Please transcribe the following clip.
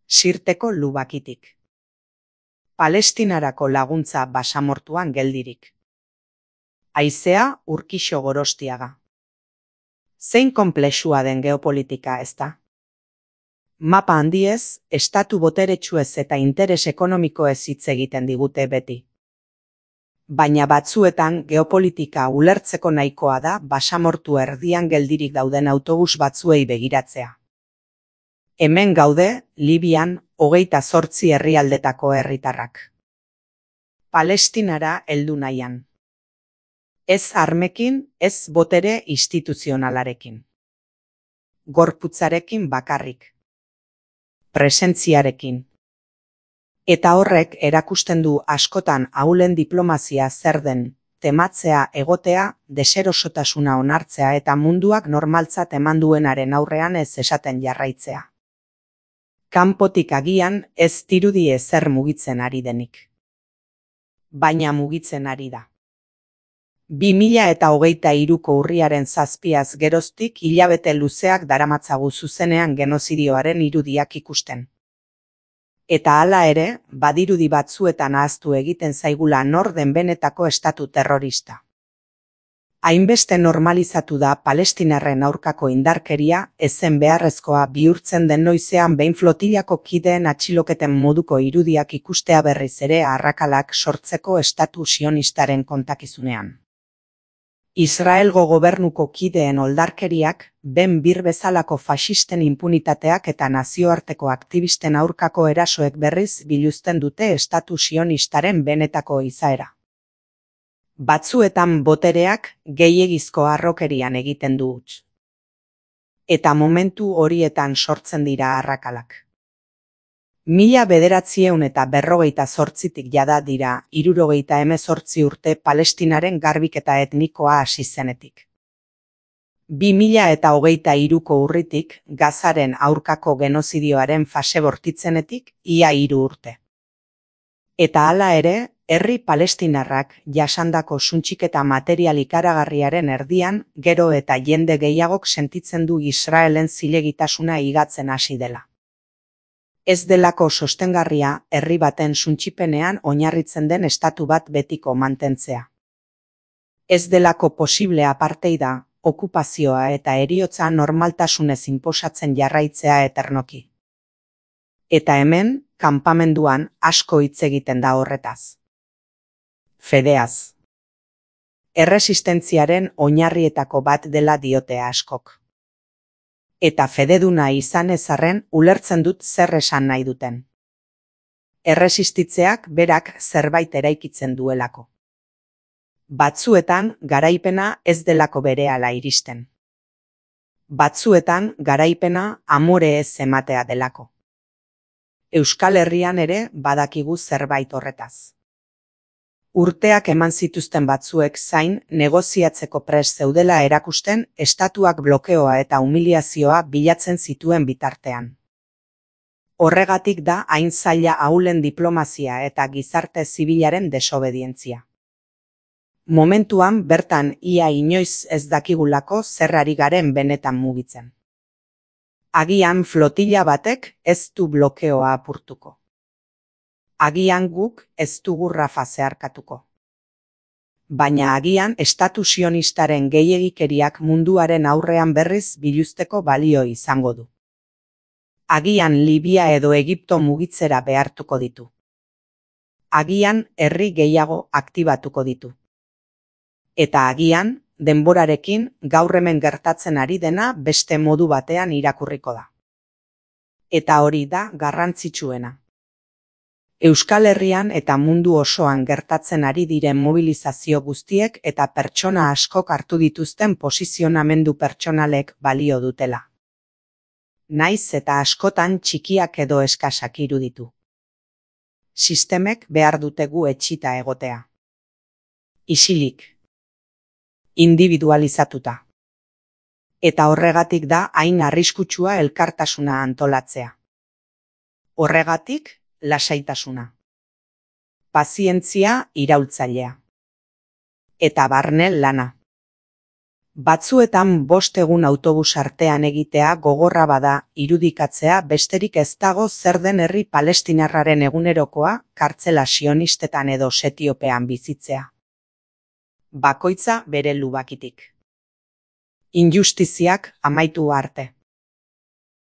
Sirteko lubakitik. Palestinarako laguntza basamortuan geldirik. Haizea Urkixo Gorostiaga. Zein konplexua den geopolitika, ezta? Mapa handiez, estatu boteretsuez eta interes ekonomikoez hitz egiten digute beti. Baina batzuetan geopolitika ulertzeko nahikoa da basamortu erdian geldirik dauden autobus batzuei begiratzea. Hemen gaude, Libian, 28 herrialdetako herritarrak. Palestinara heldu nahian. Ez armekin, ez botere instituzionalarekin. Gorputzarekin bakarrik. Presentziarekin. Eta horrek erakusten du askotan ahulen diplomazia zer den, tematzea egotea, deserosotasuna onartzea eta munduak normaltzat eman duenaren aurrean ez esaten jarraitzea. Kanpotik agian ez dirudi ezer mugitzen ari denik. Baina mugitzen ari da. 2023ko urriaren 7az geroztik hilabete luzeak daramatzagu zuzenean genozidioaren irudiak ikusten. Eta hala ere, badirudi batzuetan ahaztu egiten zaigula nor den benetako estatu terrorista. Hainbeste normalizatu da palestinarren aurkako indarkeria ezen beharrezkoa bihurtzen den noizean behin flotillako kideen atxiloketen moduko irudiak ikustea berriz ere arrakalak sortzeko estatu sionistaren kontakizunean. Israelgo gobernuko kideen oldarkeriak, Ben Bir bezalako faxisten inpunitateak eta nazioarteko aktivisten aurkako erasoek berriz biluzten dute estatu sionistaren benetako izaera. Batzuetan botereak gehiegizko harrokerian egiten du huts. Eta momentu horietan sortzen dira arrakalak. 1948tik jada dira 78 urte Palestinaren garbiketa etnikoa hasi zenetik. 2023ko urritik Gazaren aurkako genozidioaren fase bortitzenetik ia 3 urte. Eta hala ere, herri palestinarrak jasandako suntxiketa material ikaragarriaren erdian gero eta jende gehiagok sentitzen du Israelen zilegitasuna higatzen hasi dela. Ez delako sostengarria herri baten suntsipenean oinarritzen den estatu bat betiko mantentzea. Ez delako posible apartheida, okupazioa eta heriotza normaltasunez inposatzen jarraitzea eternoki. Eta hemen, kanpamenduan asko hitz egiten da horretaz. Fedeaz. Erresistentziaren oinarrietako bat dela diote askok. Eta fededuna izan ezarren ulertzen dut zer esan nahi duten. Erresistitzeak berak zerbait eraikitzen duelako. Batzuetan garaipena ez delako berehala iristen. Batzuetan garaipena amore ez ematea delako. Euskal Herrian ere badakigu zerbait horretaz. Urteak eman zituzten batzuek zain negoziatzeko prest zeudela erakusten estatuak blokeoa eta humiliazioa bilatzen zituen bitartean. Horregatik da hain zaila ahulen diplomazia eta gizarte zibilaren desobedientzia. Momentuan bertan ia inoiz ez dakigulako zer ari garen benetan mugitzen. Agian flotilla batek ez du blokeoa apurtuko. Agian guk ez dugu Rafa zeharkatuko. Baina agian estatu sionistaren gehiegikeriak munduaren aurrean berriz biluzteko balio izango du. Agian Libia edo Egipto mugitzera behartuko ditu. Agian herri gehiago aktibatuko ditu. Eta agian, denborarekin gaur hemen gertatzen ari dena beste modu batean irakurriko da. Eta hori da garrantzitsuena. Euskal Herrian eta mundu osoan gertatzen ari diren mobilizazio guztiek eta pertsona askok hartu dituzten posizionamendu pertsonalek balio dutela. Naiz eta askotan txikiak edo eskasak iruditu. Sistemek behar dutegu etxita egotea. Isilik. Individualizatuta. Eta horregatik da hain arriskutsua elkartasuna antolatzea. Horregatik, lasaitasuna. Pazientzia iraultzailea. Eta barne lana. Batzuetan 5 egun autobus artean egitea gogorra bada irudikatzea besterik ez dago zer den herri palestinarraren egunerokoa kartzela sionistetan edo Etiopian bizitzea. Bakoitza bere lubakitik. Injustiziak amaitu arte.